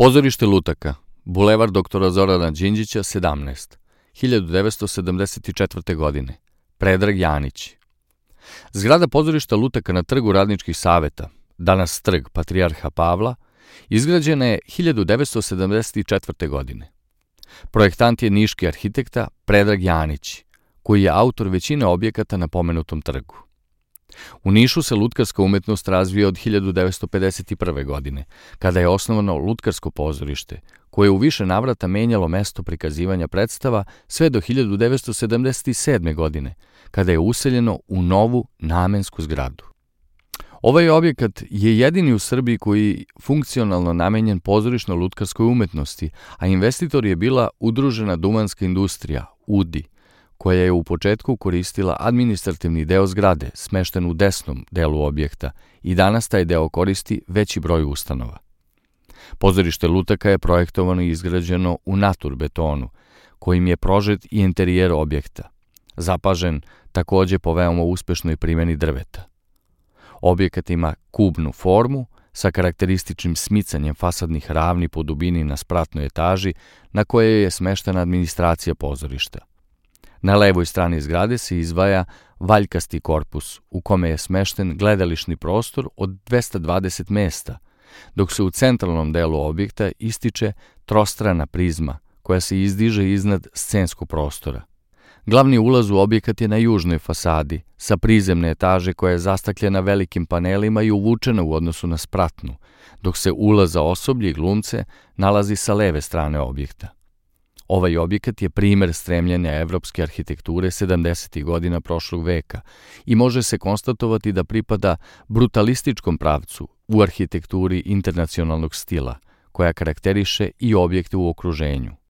Pozorište Lutaka, Bulevar doktora Zorana Đinđića, 17, 1974. godine. Predrag Janić. Zgrada pozorišta Lutaka na trgu Radničkih saveta, danas trg Patrijarha Pavla, izgrađena je 1974. godine. Projektant je niški arhitekta Predrag Janić, koji je autor većine objekata na pomenutom trgu. U Nišu se lutkarska umetnost razvija od 1951. godine, kada je osnovano Lutkarsko pozorište, koje je u više navrata menjalo mesto prikazivanja predstava sve do 1977. godine, kada je useljeno u novu namensku zgradu. Ovaj objekat je jedini u Srbiji koji je funkcionalno namenjen pozorišno-lutkarskoj umetnosti, a investitor je bila Udružena duvanska industrija, UDI, koja je u početku koristila administrativni deo zgrade, smešten u desnom delu objekta, i danas taj deo koristi veći broj ustanova. Pozorište Lutaka je projektovano i izgrađeno u naturbetonu, kojim je prožet i interijer objekta, zapažen takođe po veoma uspešnoj primjeni drveta. Objekat ima kubnu formu sa karakterističnim smicanjem fasadnih ravni po dubini na spratnoj etaži na kojoj je smeštena administracija pozorišta. Na levoj strani zgrade se izdvaja valjkasti korpus u kome je smešten gledališni prostor od 220 mesta, dok se u centralnom delu objekta ističe trostrana prizma koja se izdiže iznad scenskog prostora. Glavni ulaz u objekat je na južnoj fasadi, sa prizemne etaže koja je zastakljena velikim panelima i uvučena u odnosu na spratnu, dok se ulaz za osoblje i glumce nalazi sa leve strane objekta. Ovaj objekat je primer stremljenja evropske arhitekture 70. godina prošlog veka i može se konstatovati da pripada brutalističkom pravcu u arhitekturi internacionalnog stila, koja karakteriše i objekte u okruženju.